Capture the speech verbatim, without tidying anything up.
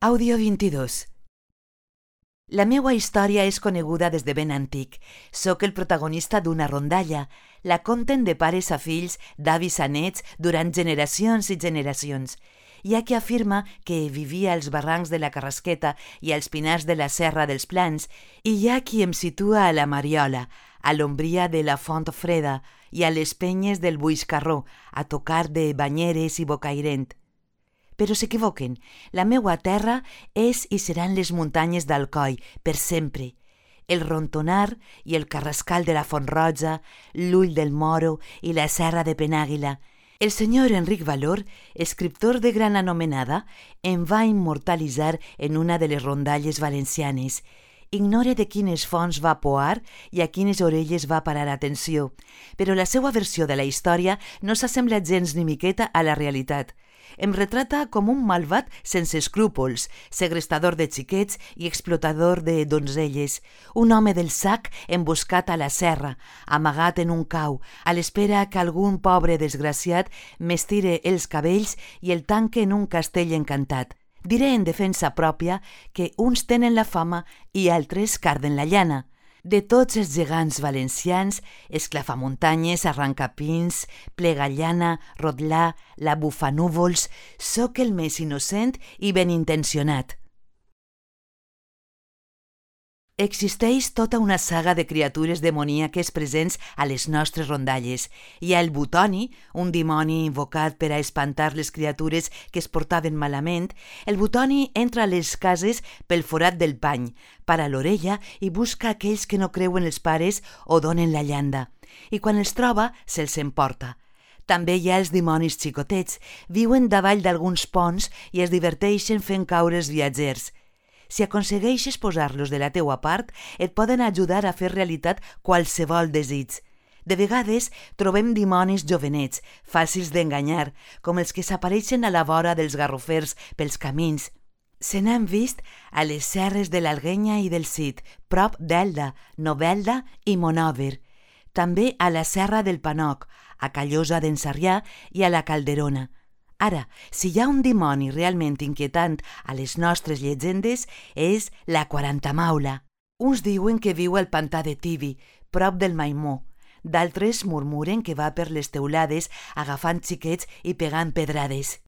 Àudio vint-i-dos. La meua història és coneguda des de ben antic. Soc el protagonista d'una rondalla. La conten de pares a fills, d'avis a nets, durant generacions i generacions. Hi ha qui afirma que vivia als barrancs de la Carrasqueta i als pinars de la Serra dels Plans, i hi ha qui em situa a la Mariola, a l'ombria de la Font Freda i a les penyes del Buixcarró, a tocar de Banyeres i Bocairent. Però s'equivoquen. La meua terra és i seran les muntanyes d'Alcoi, per sempre. El Rontonar i el Carrascal de la Font-roja, l'Ull del Moro i la Serra de Penàguila. El senyor Enric Valor, escriptor de gran anomenada, em va immortalitzar en una de les rondalles valencianes. Ignore de quines fonts va poar i a quines orelles va parar atenció, però la seva versió de la història no s'assembla gens ni miqueta a la realitat. Em retrata com un malvat sense escrúpols, segrestador de xiquets i explotador de donzelles, un home del sac emboscat a la serra, amagat en un cau, a l'espera que algun pobre desgraciat m'estire els cabells i el tanque en un castell encantat. Diré en defensa pròpia que uns tenen la fama i altres carden la llana. De tots els gegants valencians, Esclafamuntanyes, Arrancapins, Plegallana, Rotglà, la Bufanúvols, sóc el més innocent i ben intencionat. Existeix tota una saga de criatures demoníaques presents a les nostres rondalles. Hi ha el Butoni, un dimoni invocat per a espantar les criatures que es portaven malament. El Butoni entra a les cases pel forat del pany, para l'orella i busca aquells que no creuen els pares o donen la llanda. I quan els troba, se'ls emporta. També hi ha els dimonis xicotets. Viuen davall d'alguns ponts i es diverteixen fent caure els viatgers. Si aconsegueixes posar-los de la teua part, et poden ajudar a fer realitat qualsevol desig. De vegades trobem dimonis jovenets, fàcils d'enganyar, com els que s'apareixen a la vora dels garrofers pels camins. Se n'han vist a les serres de l'Alguenya i del Cid, prop d'Elda, Novelda i Monòver. També a la Serra del Panoc, a Callosa d'en Sarrià i a la Calderona. Ara, si hi ha un dimoni realment inquietant a les nostres llegendes, és la Quarantamaula. Uns diuen que viu al pantà de Tibi, prop del Maimó. D'altres murmuren que va per les teulades agafant xiquets i pegant pedrades.